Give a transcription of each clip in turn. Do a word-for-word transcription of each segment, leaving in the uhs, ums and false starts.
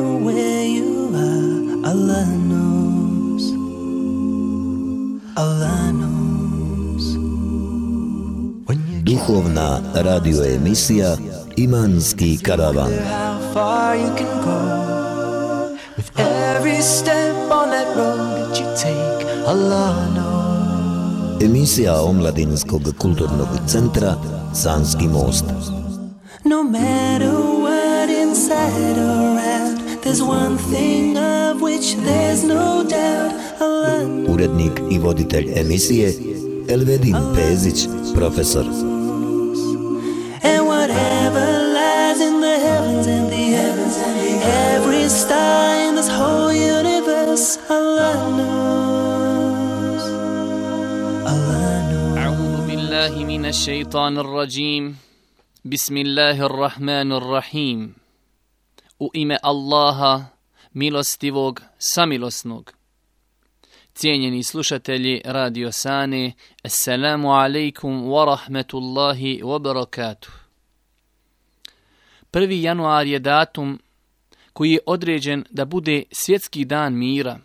matter where you are, Allah knows. Allah knows. Duhovna radio emisija Imanski karavan. How far you can go with every step on that road that you take, Allah knows. Emisija Omladinskog kulturnog centra Sanski most. No matter what inside or out, there's one thing of which there's no doubt, Allah knows. Urednik i voditelj emisije Elvedin Pezić, profesor. And whatever lies in the heavens and the heavens and the every star in this whole universe, Allah knows. Allah knows. أعوذ بالله من الشيطان الرجيم. بسم الله الرحمن الرحيم. U ime Allaha, milostivog, samilosnog. Cijenjeni slušatelji Radio Sane, assalamu alaikum wa rahmetullahi wa barakatuh. prvi januar je datum koji je određen da bude svjetski dan mira.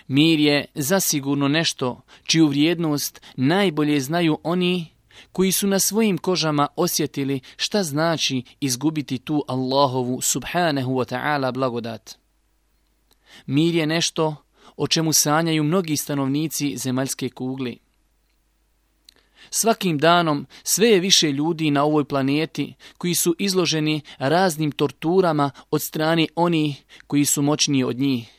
Mir je zasigurno nešto čiju vrijednost najbolje znaju oni koji su na svojim kožama osjetili šta znači izgubiti tu Allahovu subhanahu wa ta'ala blagodat. Mir je nešto o čemu sanjaju mnogi stanovnici zemaljske kugle. Svakim danom sve je više ljudi na ovoj planeti koji su izloženi raznim torturama od strane onih koji su moćniji od njih.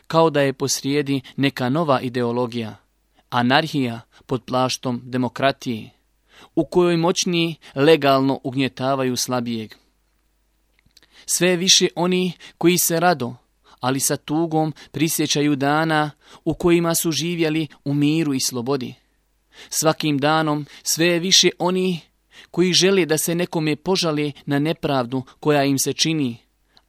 Kao da je posrijedi neka nova ideologija, anarhija pod plaštom demokratije, u kojoj moćniji legalno ugnjetavaju slabijeg. Sve je više oni koji se rado, ali sa tugom prisjećaju dana u kojima su živjeli u miru i slobodi. Svakim danom sve je više oni koji žele da se nekome požale na nepravdu koja im se čini,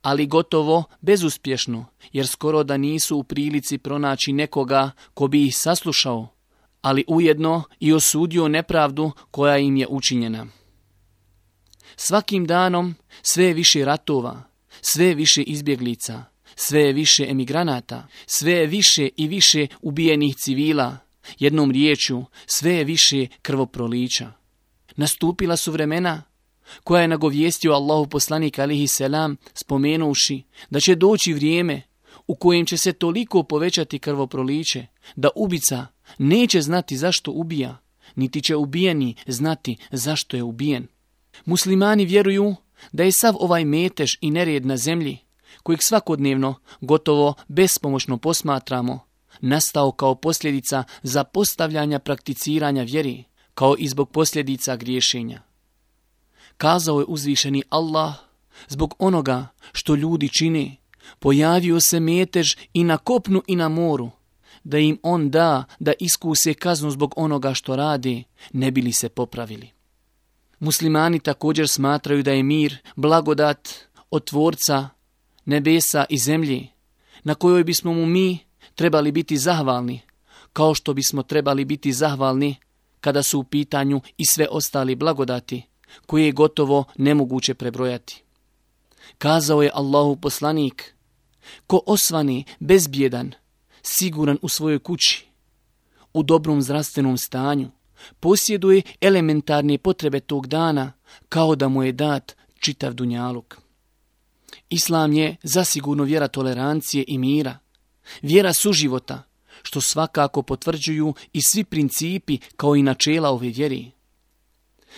ali gotovo bezuspješno, jer skoro da nisu u prilici pronaći nekoga ko bi ih saslušao, ali ujedno i osudio nepravdu koja im je učinjena. Svakim danom sve je više ratova, sve je više izbjeglica, sve je više emigranata, sve je više i više ubijenih civila, jednom riječju sve je više krvoprolića. Nastupila su vremena koja je nagovijestio Allahu poslanik alihi selam spomenuši da će doći vrijeme u kojem će se toliko povećati krvoproliće da ubica neće znati zašto ubija, niti će ubijeni znati zašto je ubijen. Muslimani vjeruju da je sav ovaj metež i nered na zemlji, kojeg svakodnevno gotovo bespomoćno posmatramo, nastao kao posljedica zapostavljanja prakticiranja vjeri, kao i zbog posljedica griješenja. Kazao je uzvišeni Allah, zbog onoga što ljudi čine, pojavio se metež i na kopnu i na moru, da im on da da iskuse kaznu zbog onoga što rade, ne bi li se popravili. Muslimani također smatraju da je mir blagodat od Tvorca nebesa i zemlje, na kojoj bismo mu mi trebali biti zahvalni, kao što bismo trebali biti zahvalni kada su u pitanju i sve ostali blagodati, koje je gotovo nemoguće prebrojati. Kazao je Allahu poslanik, ko osvani bezbjedan, siguran u svojoj kući, u dobrom zdravstvenom stanju, posjeduje elementarne potrebe tog dana, kao da mu je dat čitav dunjaluk. Islam je zasigurno vjera tolerancije i mira, vjera suživota, što svakako potvrđuju i svi principi kao i načela ove vjeri.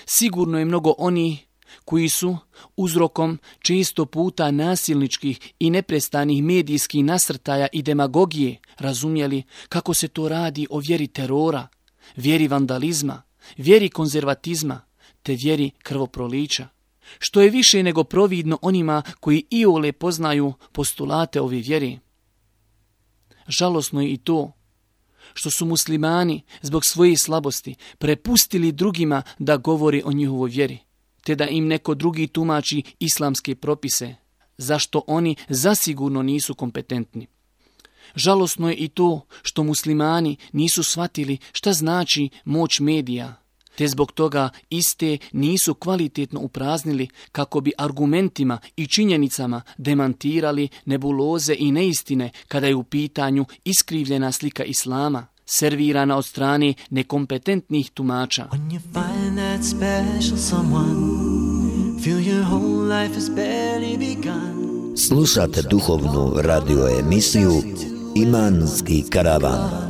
Sigurno je mnogo onih koji su uzrokom često puta nasilničkih i neprestanih medijskih nasrtaja i demagogije razumjeli kako se to radi o vjeri terora, vjeri vandalizma, vjeri konzervatizma te vjeri krvoprolića, što je više nego providno onima koji iole poznaju postulate ove vjeri. Žalosno je i to što su muslimani zbog svoje slabosti prepustili drugima da govori o njihovoj vjeri, te da im neko drugi tumači islamske propise, zašto oni zasigurno nisu kompetentni. Žalosno je i to što muslimani nisu shvatili šta znači moć medija, te zbog toga iste nisu kvalitetno upraznili kako bi argumentima i činjenicama demantirali nebuloze i neistine kada je u pitanju iskrivljena slika islama, servirana od strane nekompetentnih tumača. When you find that special someone, feel your whole life has barely begun. Slušate duhovnu radio emisiju Imanski karavan.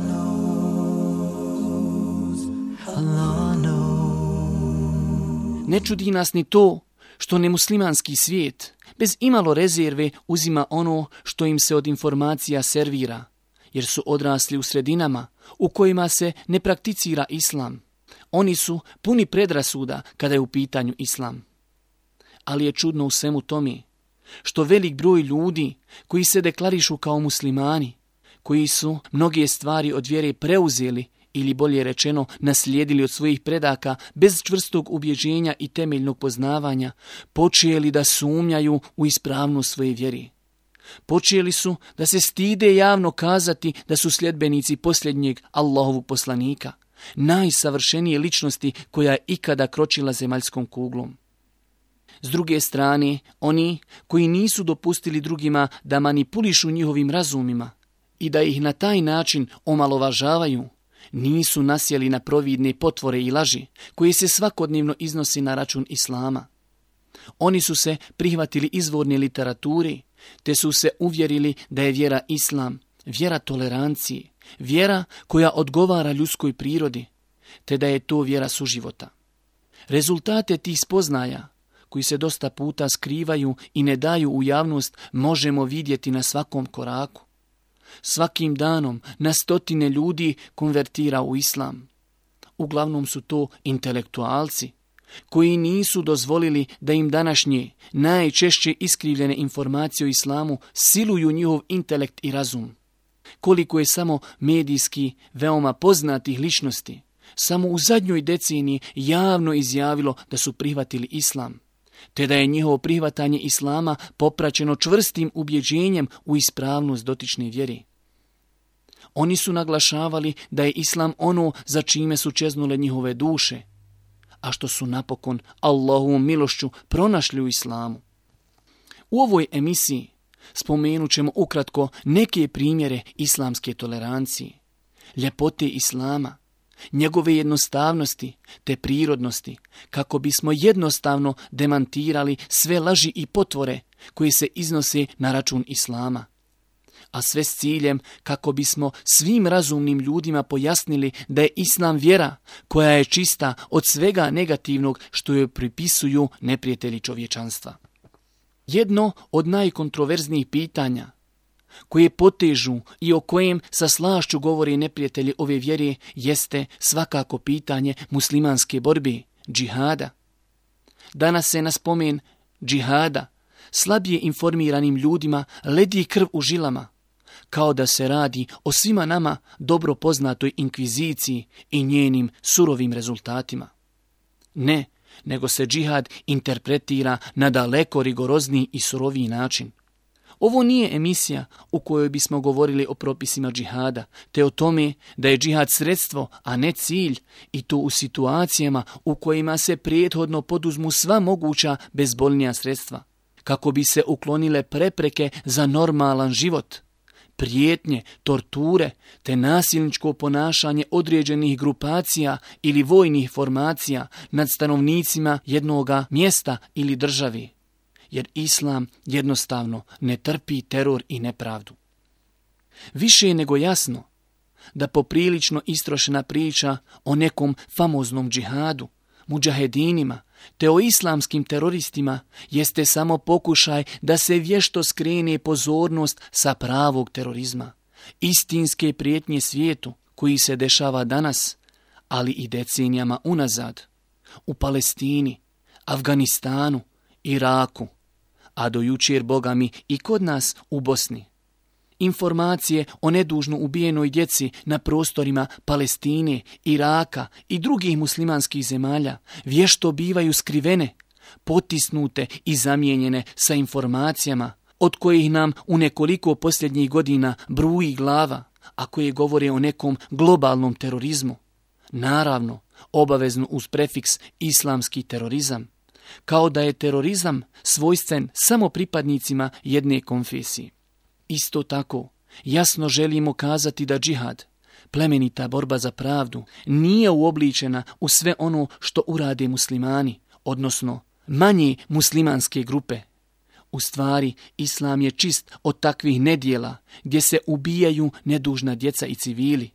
Ne čudi nas ni to što nemuslimanski svijet bez imalo rezerve uzima ono što im se od informacija servira, jer su odrasli u sredinama u kojima se ne prakticira islam. Oni su puni predrasuda kada je u pitanju islam. Ali je čudno u svemu tome što velik broj ljudi koji se deklarišu kao muslimani, koji su mnoge stvari od vjere preuzeli ili bolje rečeno naslijedili od svojih predaka bez čvrstog ubjeđenja i temeljnog poznavanja, počeli da sumnjaju u ispravnost svoje vjere. Počeli su da se stide javno kazati da su sljedbenici posljednjeg Allahovog poslanika, najsavršenije ličnosti koja je ikada kročila zemaljskom kuglom. S druge strane, oni koji nisu dopustili drugima da manipulišu njihovim razumima i da ih na taj način omalovažavaju, nisu nasjeli na providne potvore i laži koje se svakodnevno iznosi na račun islama. Oni su se prihvatili izvorne literature, te su se uvjerili da je vjera islam, vjera tolerancije, vjera koja odgovara ljudskoj prirodi, te da je to vjera suživota. Rezultate tih spoznaja, koji se dosta puta skrivaju i ne daju u javnost, možemo vidjeti na svakom koraku. Svakim danom na stotine ljudi konvertira u islam. Uglavnom su to intelektualci, koji nisu dozvolili da im današnje, najčešće iskrivljene informacije o islamu siluju njihov intelekt i razum. Koliko je samo medijski veoma poznatih ličnosti samo u zadnjoj deceniji javno izjavilo da su prihvatili islam, te da je njihovo prihvatanje islama popraćeno čvrstim ubjeđenjem u ispravnost dotične vjere. Oni su naglašavali da je islam ono za čime su čeznule njihove duše, a što su napokon Allahovom milošću pronašli u islamu. U ovoj emisiji spomenut ćemo ukratko neke primjere islamske tolerancije, ljepote islama, njegove jednostavnosti te prirodnosti, kako bismo jednostavno demantirali sve laži i potvore koje se iznose na račun islama, a sve s ciljem kako bismo svim razumnim ljudima pojasnili da je islam vjera koja je čista od svega negativnog što joj pripisuju neprijatelji čovječanstva. Jedno od najkontroverznijih pitanja koje potežu i o kojem sa slašću govore neprijatelji ove vjere jeste svakako pitanje muslimanske borbe, džihada. Danas se na spomen džihada slabije informiranim ljudima ledi krv u žilama, kao da se radi o svima nama dobro poznatoj inkviziciji i njenim surovim rezultatima. Ne, nego se džihad interpretira na daleko rigorozniji i suroviji način. Ovo nije emisija u kojoj bismo govorili o propisima džihada, te o tome da je džihad sredstvo, a ne cilj, i to u situacijama u kojima se prethodno poduzmu sva moguća bezbolnija sredstva, kako bi se uklonile prepreke za normalan život, prijetnje, torture, te nasilničko ponašanje određenih grupacija ili vojnih formacija nad stanovnicima jednoga mjesta ili državi, jer islam jednostavno ne trpi teror i nepravdu. Više je nego jasno da poprilično istrošena priča o nekom famoznom džihadu, mudžahedinima, te o islamskim teroristima jeste samo pokušaj da se vješto skrene pozornost sa pravog terorizma, istinske prijetnje svijetu koji se dešava danas, ali i decenijama unazad, u Palestini, Afganistanu, Iraku, a do jučer, Boga mi, i kod nas u Bosni. Informacije o nedužno ubijenoj djeci na prostorima Palestine, Iraka i drugih muslimanskih zemalja vješto bivaju skrivene, potisnute i zamijenjene sa informacijama od kojih nam u nekoliko posljednjih godina bruji glava, a koje govore o nekom globalnom terorizmu. Naravno, obaveznu uz prefiks islamski terorizam, kao da je terorizam svojstven samo pripadnicima jedne konfesije. Isto tako, jasno želimo kazati da džihad, plemenita borba za pravdu, nije uobličena u sve ono što urade muslimani, odnosno manje muslimanske grupe. U stvari, islam je čist od takvih nedjela gdje se ubijaju nedužna djeca i civili.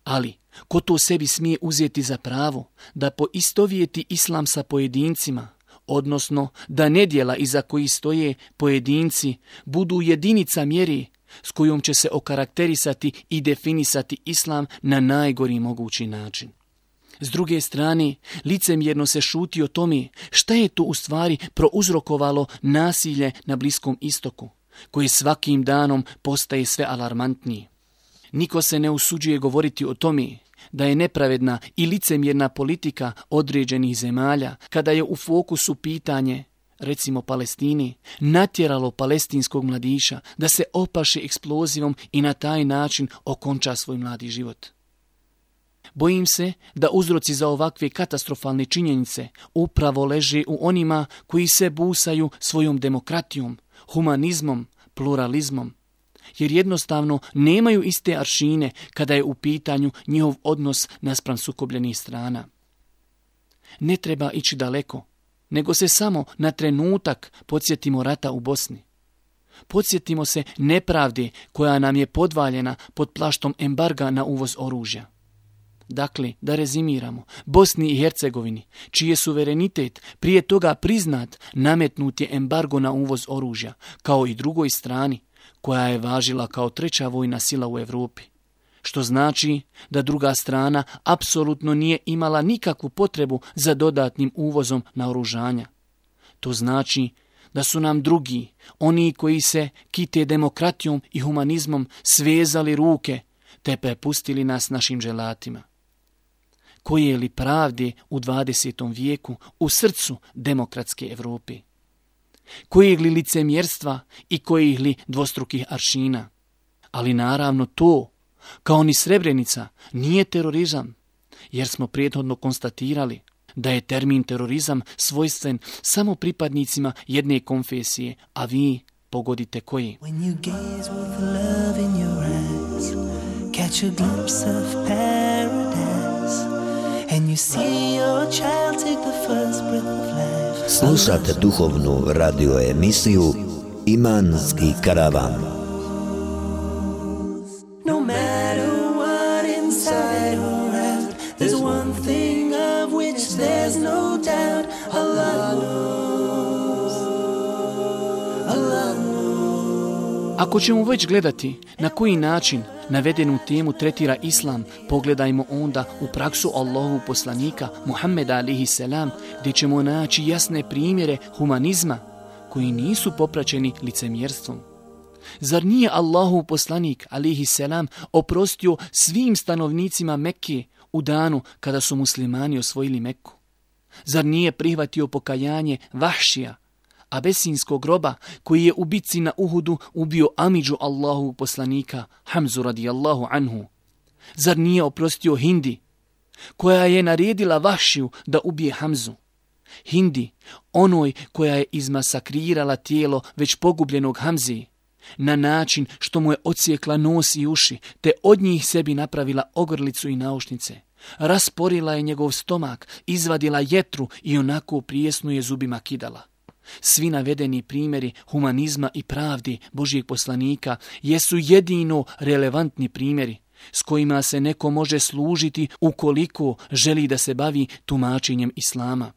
Ali, ko to sebi smije uzeti za pravo da poistovjeti islam sa pojedincima, odnosno da nedjela iza koji stoje pojedinci budu jedinica mjeri s kojom će se okarakterisati i definisati islam na najgori mogući način. S druge strane, licemjerno se šuti o tome šta je to u stvari prouzrokovalo nasilje na Bliskom istoku, koje svakim danom postaje sve alarmantnije. Niko se ne usuđuje govoriti o tome da je nepravedna i licemjerna politika određenih zemalja, kada je u fokusu pitanje, recimo Palestini, natjeralo palestinskog mladića da se opaše eksplozivom i na taj način okonča svoj mladi život. Bojim se da uzroci za ovakve katastrofalne činjenice upravo leže u onima koji se busaju svojom demokratijom, humanizmom, pluralizmom, jer jednostavno nemaju iste aršine kada je u pitanju njihov odnos naspram sukobljenih strana. Ne treba ići daleko, nego se samo na trenutak podsjetimo rata u Bosni. Podsjetimo se nepravde koja nam je podvaljena pod plaštom embarga na uvoz oružja. Dakle, da rezimiramo, Bosni i Hercegovini, čiji je suverenitet prije toga priznat, nametnut je embargo na uvoz oružja, kao i drugoj strani, koja je važila kao treća vojna sila u Europi. Što znači da druga strana apsolutno nije imala nikakvu potrebu za dodatnim uvozom naoružanja. To znači da su nam drugi, oni koji se kite demokratijom i humanizmom, svezali ruke te prepustili nas našim želatima. Koje li pravde u dvadesetom vijeku u srcu demokratske Europe? Kojeg li licemjerstva i kojih li dvostrukih aršina? Ali naravno to, kao ni Srebrenica, nije terorizam, jer smo prethodno konstatirali da je termin terorizam svojstven samo pripadnicima jedne konfesije, a vi pogodite koji. When you gaze with love in your eyes, catch a glimpse of paradise, and you see your child take the first breath of life. Slušate duhovnu radio emisiju Imanski karavan. No matter what inside or out, there's one thing of which there's no doubt. Allah knows. Allah knows. Ako ćemo već gledati na koji način navedenu temu tretira islam, pogledajmo onda u praksu Allahovog poslanika Muhammeda alejhi selam, gdje ćemo naći jasne primjere humanizma koji nisu popraćeni licemjerstvom. Zar nije Allahov poslanik alejhi selam oprostio svim stanovnicima Mekke u danu kada su muslimani osvojili Mekku? Zar nije prihvatio pokajanje Vahšija, abesinskog roba, koji je u bitci na Uhudu ubio amidžu Allahovog poslanika Hamzu radijallahu anhu? Zar nije oprostio Hindi, koja je naredila Vahšiju da ubije Hamzu? Hindi, onoj koja je izmasakrirala tijelo već pogubljenog Hamzi, na način što mu je odsjekla nos i uši, te od njih sebi napravila ogrlicu i naušnice. Rasporila je njegov stomak, izvadila jetru i onako prijesno je zubima kidala. Svi navedeni primjeri humanizma i pravdi Božijeg poslanika jesu jedino relevantni primjeri s kojima se neko može služiti ukoliko želi da se bavi tumačenjem islama,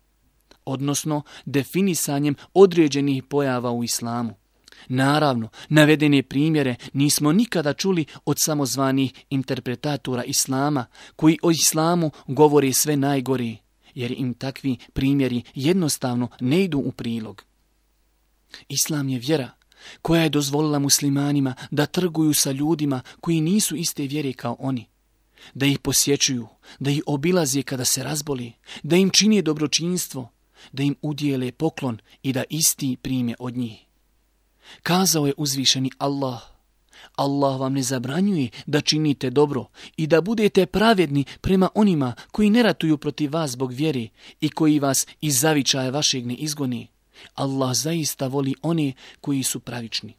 odnosno definisanjem određenih pojava u islamu. Naravno, navedene primjere nismo nikada čuli od samozvanih interpretatora islama, koji o islamu govore sve najgore, jer im takvi primjeri jednostavno ne idu u prilog. Islam je vjera koja je dozvolila muslimanima da trguju sa ljudima koji nisu iste vjere kao oni, da ih posjećuju, da ih obilaze kada se razboli, da im čine dobročinstvo, da im udijele poklon i da isti prime od njih. Kazao je uzvišeni Allah: Allah vam ne zabranjuje da činite dobro i da budete pravedni prema onima koji ne ratuju protiv vas zbog vjere i koji vas iz zavičaja vašeg ne izgoni. Allah zaista voli one koji su pravični.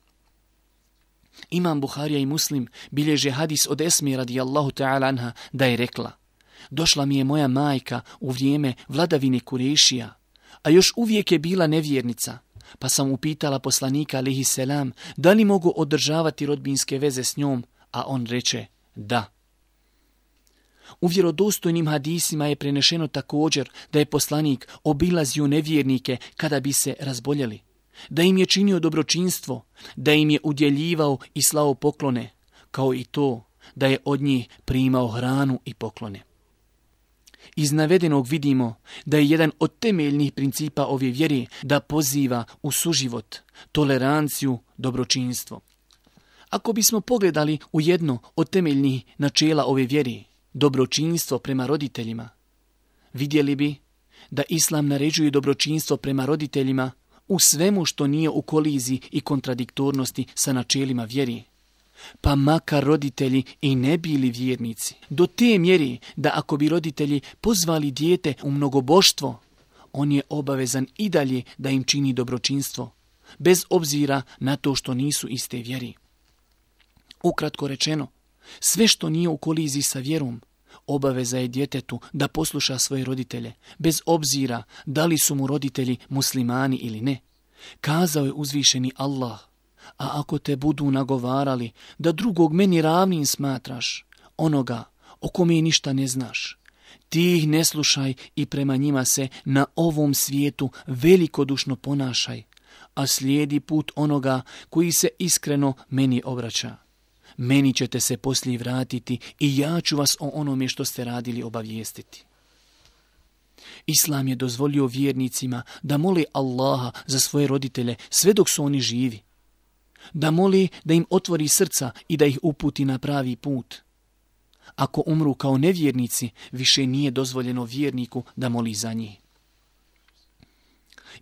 Imam Buharija i Muslim bilježe hadis od Esmi radijallahu ta'ala anha da je rekla: došla mi je moja majka u vrijeme vladavine Kurešija, a još uvijek je bila nevjernica, pa sam upitala poslanika alejhi selam da li mogu održavati rodbinske veze s njom, a on reče da. U vjerodostojnim hadisima je prenešeno također da je poslanik obilazio nevjernike kada bi se razboljeli, da im je činio dobročinstvo, da im je udjeljivao i slao poklone, kao i to da je od njih primao hranu i poklone. Iz navedenog vidimo da je jedan od temeljnih principa ove vjere da poziva u suživot, toleranciju, dobročinstvo. Ako bismo pogledali u jedno od temeljnih načela ove vjere, dobročinstvo prema roditeljima, vidjeli bi da Islam naređuje dobročinstvo prema roditeljima u svemu što nije u koliziji i kontradiktornosti sa načelima vjere, pa makar roditelji i ne bili vjernici. Do te mjere da ako bi roditelji pozvali dijete u mnogoboštvo, on je obavezan i dalje da im čini dobročinstvo, bez obzira na to što nisu iste vjeri. Ukratko rečeno, sve što nije u koliziji sa vjerom, obaveza je djetetu da posluša svoje roditelje, bez obzira da li su mu roditelji muslimani ili ne. Kazao je uzvišeni Allah: a ako te budu nagovarali da drugog meni ravnim smatraš, onoga o kome ništa ne znaš, ti ih ne slušaj i prema njima se na ovom svijetu velikodušno ponašaj, a slijedi put onoga koji se iskreno meni obraća. Meni ćete se poslije vratiti i ja ću vas o onome što ste radili obavijestiti. Islam je dozvolio vjernicima da mole Allaha za svoje roditelje sve dok su oni živi, da moli da im otvori srca i da ih uputi na pravi put. Ako umru kao nevjernici, više nije dozvoljeno vjerniku da moli za njih.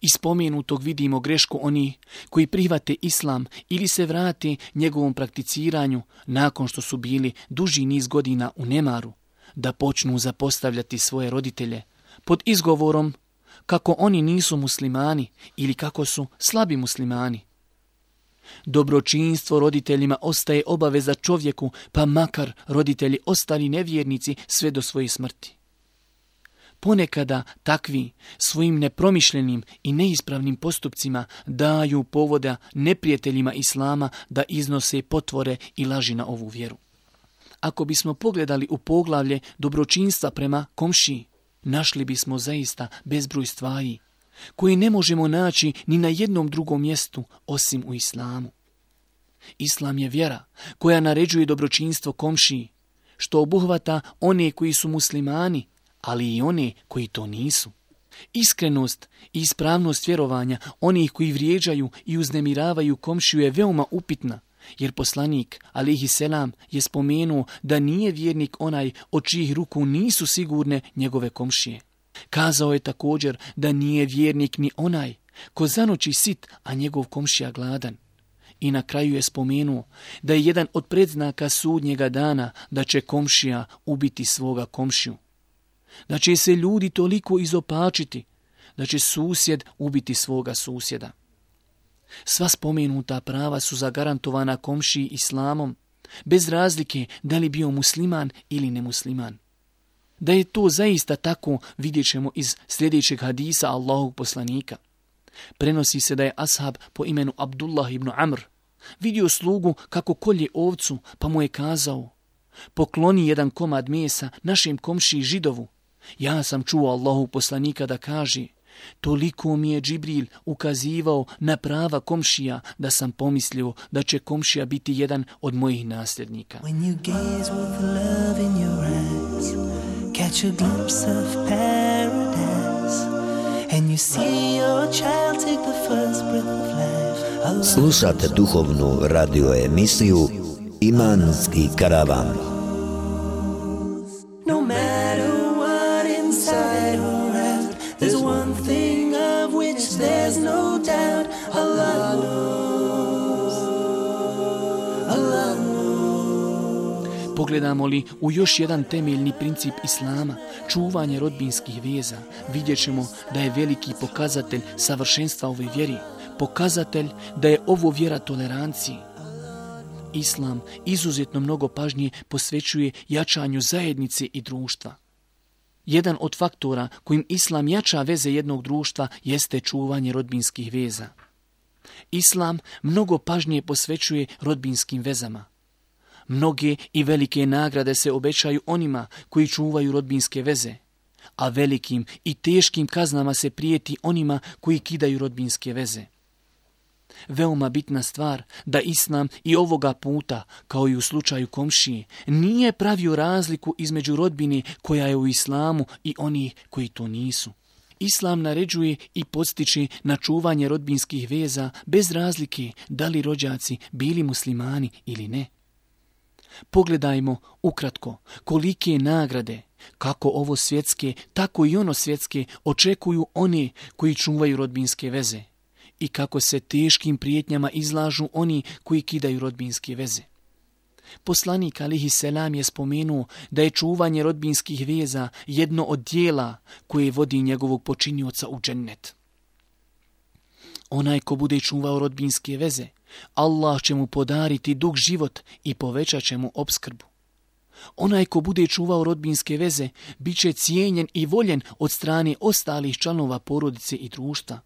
Iz spomenutog vidimo grešku oni koji prihvate Islam ili se vrate njegovom prakticiranju nakon što su bili duži niz godina u nemaru, da počnu zapostavljati svoje roditelje pod izgovorom kako oni nisu muslimani ili kako su slabi muslimani. Dobročinstvo roditeljima ostaje obaveza čovjeku, pa makar roditelji ostali nevjernici sve do svoje smrti. Ponekada takvi svojim nepromišljenim i neispravnim postupcima daju povoda neprijateljima Islama da iznose potvore i laži na ovu vjeru. Ako bismo pogledali u poglavlje dobročinstva prema komšiji, našli bismo zaista bezbroj stvari koje ne možemo naći ni na jednom drugom mjestu osim u Islamu. Islam je vjera koja naređuje dobročinstvo komšiji, što obuhvata one koji su muslimani, ali i one koji to nisu. Iskrenost i ispravnost vjerovanja onih koji vrijeđaju i uznemiravaju komšiju je veoma upitna, jer poslanik alejhi selam je spomenuo da nije vjernik onaj od čijih ruku nisu sigurne njegove komšije. Kazao je također da nije vjernik ni onaj ko zanoći sit, a njegov komšija gladan. I na kraju je spomenuo da je jedan od predznaka sudnjega dana da će komšija ubiti svoga komšiju. Da će se ljudi toliko izopačiti, da će susjed ubiti svoga susjeda. Sva spomenuta prava su zagarantovana komšiji Islamom, bez razlike da li bio musliman ili nemusliman. Da je to zaista tako vidjet ćemo iz sljedećeg hadisa Allahovog poslanika. Prenosi se da je ashab po imenu Abdullah ibn Amr vidio slugu kako kolje ovcu, pa mu je kazao: pokloni jedan komad mesa našem komšiji Židovu. Ja sam čuo Allahov poslanika da kaže: toliko mi je Džibril ukazivao na prava komšija da sam pomislio da će komšija biti jedan od mojih nasljednika. When you gaze with love in your eyes, catch a glimpse of paradise, and you see your child take the first breath of life. Slušate duhovnu radio emisiju Imanski karavan. No matter what inside or out, there's one thing of which there's no doubt. Allah knows. Allah knows. Pogledamo li u još jedan temeljni princip Islama, čuvanje rodbinskih veza, vidjet ćemo da je veliki pokazatelj savršenstva ove vjeri, pokazatelj da je ovo vjera toleranciji. Islam izuzetno mnogo pažnje posvećuje jačanju zajednice i društva. Jedan od faktora kojim Islam jača veze jednog društva jeste čuvanje rodbinskih veza. Islam mnogo pažnje posvećuje rodbinskim vezama. Mnoge i velike nagrade se obećaju onima koji čuvaju rodbinske veze, a velikim i teškim kaznama se prijeti onima koji kidaju rodbinske veze. Veoma bitna stvar da Islam i ovoga puta, kao i u slučaju komšije, nije pravio razliku između rodbine koja je u Islamu i onih koji to nisu. Islam naređuje i podstiče na čuvanje rodbinskih veza bez razlike da li rođaci bili muslimani ili ne. Pogledajmo ukratko kolike nagrade, kako ovo svjetske, tako i ono svjetske, očekuju one koji čuvaju rodbinske veze i kako se teškim prijetnjama izlažu oni koji kidaju rodbinske veze. Poslanik alihi selam je spomenuo da je čuvanje rodbinskih veza jedno od dijela koje vodi njegovog počinioca u džennet. Onaj ko bude čuvao rodbinske veze, Allah će mu podariti dug život i povećat će mu opskrbu. Onaj ko bude čuvao rodbinske veze, bit će cijenjen i voljen od strane ostalih članova porodice i društva.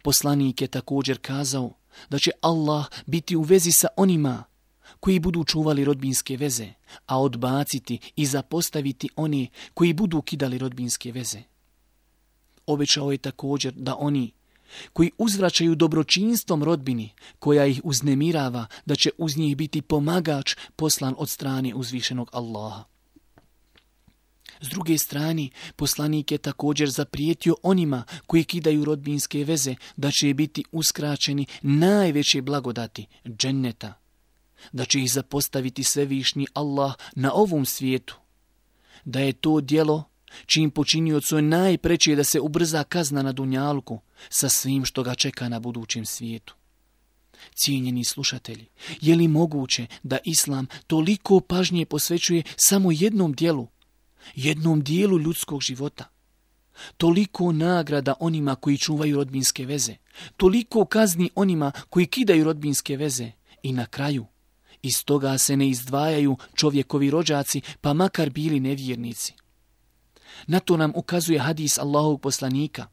Poslanik je također kazao da će Allah biti u vezi sa onima koji budu čuvali rodbinske veze, a odbaciti i zapostaviti one koji budu kidali rodbinske veze. Obećao je također da oni koji uzvraćaju dobročinstvom rodbini koja ih uznemirava, da će uz njih biti pomagač poslan od strane uzvišenog Allaha. S druge strane, poslanik je također zaprijetio onima koji kidaju rodbinske veze da će biti uskraćeni najveće blagodati dženneta, da će ih zapostaviti svevišnji Allah na ovom svijetu, da je to djelo čim počiniocu je najpreće da se ubrza kazna na dunjalku sa svim što ga čeka na budućem svijetu. Cijenjeni slušatelji, je li moguće da Islam toliko pažnje posvećuje samo jednom dijelu, jednom dijelu ljudskog života? Toliko nagrada onima koji čuvaju rodbinske veze, toliko kazni onima koji kidaju rodbinske veze i na kraju iz toga se ne izdvajaju čovjekovi rođaci, pa makar bili nevjernici. Na to nam ukazuje hadis Allahovog poslanika.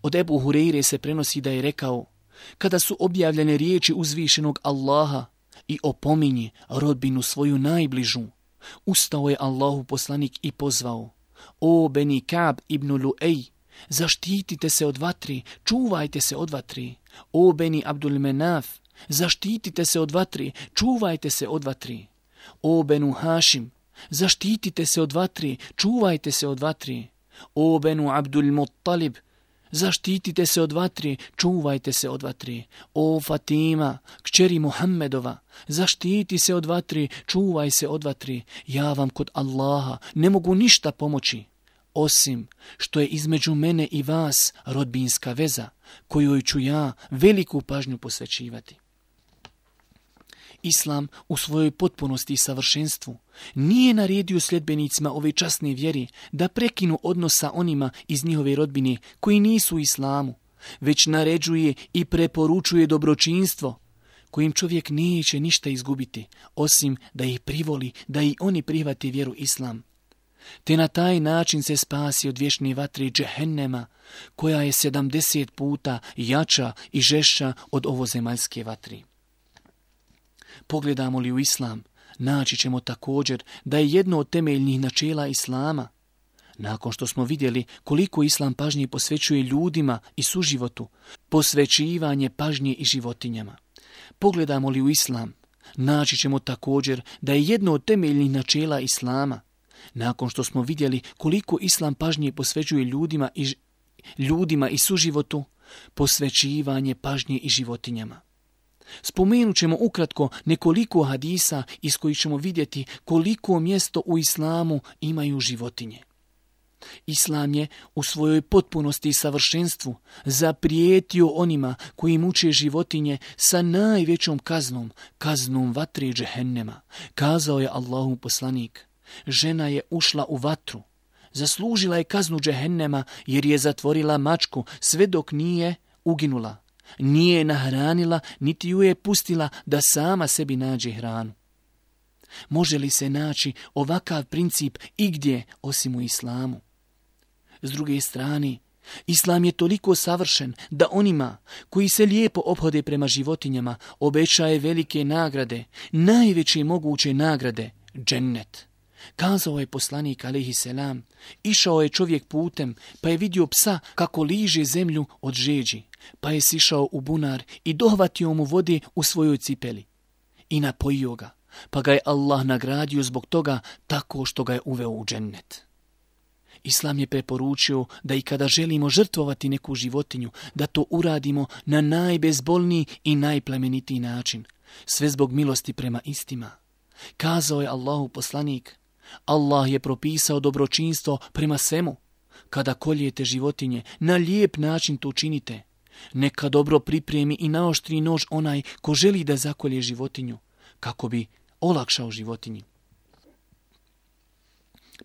Od Ebu Hureyre se prenosi da je rekao: kada su objavljene riječi uzvišenog Allaha i opominje rodbinu svoju najbližu, ustao je Allahov poslanik i pozvao: o Beni Ka'b ibn Lu'ej, zaštitite se od vatre, čuvajte se od vatre. O Beni Abdul Menaf, zaštitite se od vatre, čuvajte se od vatre. O Benu Hašim, zaštitite se od vatre, čuvajte se od vatre. O Benu Abdul Muttalib, zaštitite se od vatre, čuvajte se od vatre. O Fatima, kćeri Muhammedova, zaštiti se od vatre, čuvaj se od vatre. Ja vam kod Allaha ne mogu ništa pomoći, osim što je između mene i vas rodbinska veza, kojoj ću ja veliku pažnju posvećivati. Islam u svojoj potpunosti i savršenstvu nije naredio sljedbenicima ove časne vjeri da prekinu odnos sa onima iz njihove rodbine koji nisu u Islamu, već naređuje i preporučuje dobročinstvo kojim čovjek neće ništa izgubiti, osim da ih privoli, da i oni prihvate vjeru Islam. Te na taj način se spasi od vječne vatre džehennema, koja je sedamdeset puta jača i žešća od ovozemaljske vatre. Pogledamo li u Islam, naći ćemo također da je jedno od temeljnih načela Islama, nakon što smo vidjeli koliko Islam pažnje posvećuje ljudima i suživotu, posvećivanje pažnje i životinjama. Pogledamo li u Islam, naći ćemo također da je jedno od temeljnih načela Islama, nakon što smo vidjeli koliko Islam pažnje posvećuje ljudima i, ljudima i suživotu, posvećivanje pažnje i životinjama. Spomenut ćemo ukratko nekoliko hadisa iz kojih ćemo vidjeti koliko mjesto u Islamu imaju životinje. Islam je u svojoj potpunosti i savršenstvu zaprijetio onima koji muče životinje sa najvećom kaznom, kaznom vatre džehennema. Kazao je Allahov poslanik, žena je ušla u vatru, zaslužila je kaznu džehennema jer je zatvorila mačku sve dok nije uginula. Nije je nahranila, niti ju je pustila da sama sebi nađe hranu. Može li se naći ovakav princip igdje osim u islamu? S druge strane, islam je toliko savršen da onima koji se lijepo ophode prema životinjama obećaje velike nagrade, najveće moguće nagrade, džennet. Kazao je poslanik alejhi selam, išao je čovjek putem pa je vidio psa kako liže zemlju od žeđi, pa je sišao u bunar i dohvatio mu vode u svojoj cipeli i napojio ga, pa ga je Allah nagradio zbog toga tako što ga je uveo u džennet. Islam je preporučio da i kada želimo žrtvovati neku životinju, da to uradimo na najbezbolniji i najplemenitiji način, sve zbog milosti prema istima. Kazao je Allahu poslanik, Allah je propisao dobročinstvo prema svemu. Kada koljete životinje, na lijep način to činite. Neka dobro pripremi i naoštri nož onaj ko želi da zakolje životinju, kako bi olakšao životinji.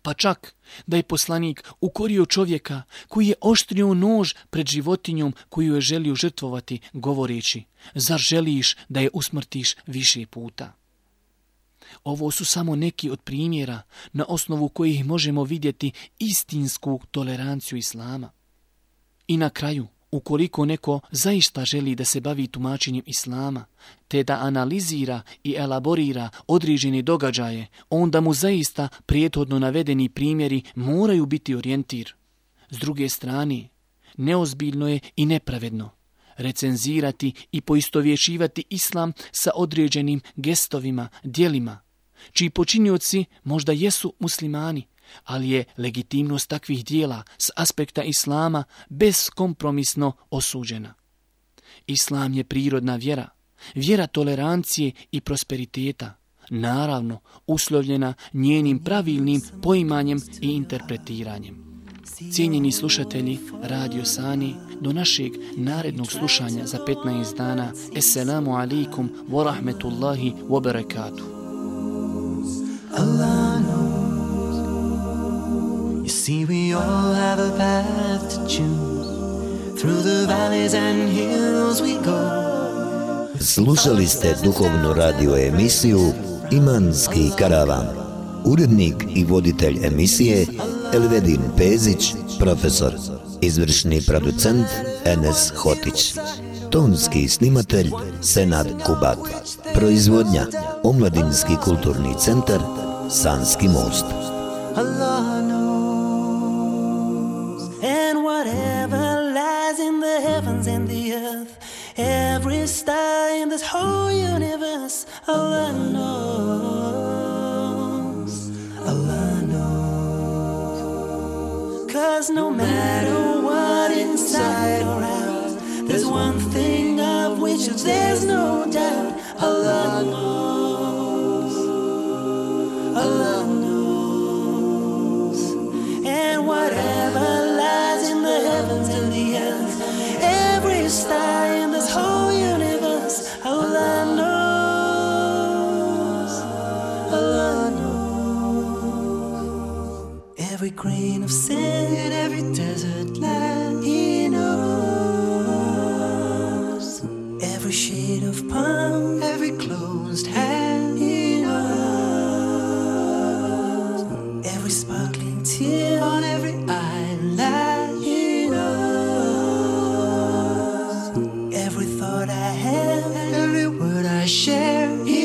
Pa čak da je poslanik ukorio čovjeka koji je oštrio nož pred životinjom koju je želio žrtvovati, govoreći, zar želiš da je usmrtiš više puta? Ovo su samo neki od primjera na osnovu kojih možemo vidjeti istinsku toleranciju islama. I na kraju, ukoliko neko zaista želi da se bavi tumačenjem islama, te da analizira i elaborira određene događaje, onda mu zaista prethodno navedeni primjeri moraju biti orijentir. S druge strane, neozbiljno je i nepravedno recenzirati i poistovjećivati islam sa određenim gestovima, djelima, čiji počinioci možda jesu muslimani, ali je legitimnost takvih dijela s aspekta islama beskompromisno osuđena. Islam je prirodna vjera, vjera tolerancije i prosperiteta, naravno uslovljena njenim pravilnim poimanjem i interpretiranjem. Cijenjeni slušatelji Radio Sani, do našeg narednog slušanja za petnaest dana. Esselamu alaikum wa rahmetullahi wa barakatuh. Allah knows. You see, we all have a path to choose. Through the valleys and hills we go. Slušali ste duhovnu radio emisiju Imanski karavan. Urednik i voditelj emisije Elvedin Pezić, profesor, izvršni producent Enes Hotić, tonski snimatelj Senad Kubat, proizvodnja Omladinski kulturni centar Sanski most. Allah knows, and whatever lies in the heavens and the earth, every star in this whole universe, Allah knows, Allah knows. 'Cause no matter what inside or out, there's one thing of which there's no doubt, Allah knows, Allah knows. And whatever lies in the heavens and the earth, every star in this whole universe, Allah knows, Allah knows. Every grain of sand in every desert land, He knows. Every shade of palm, every closed hand, He knows. Every sparkling tear on every eyelid, He knows. Every thought I have, every word I share, He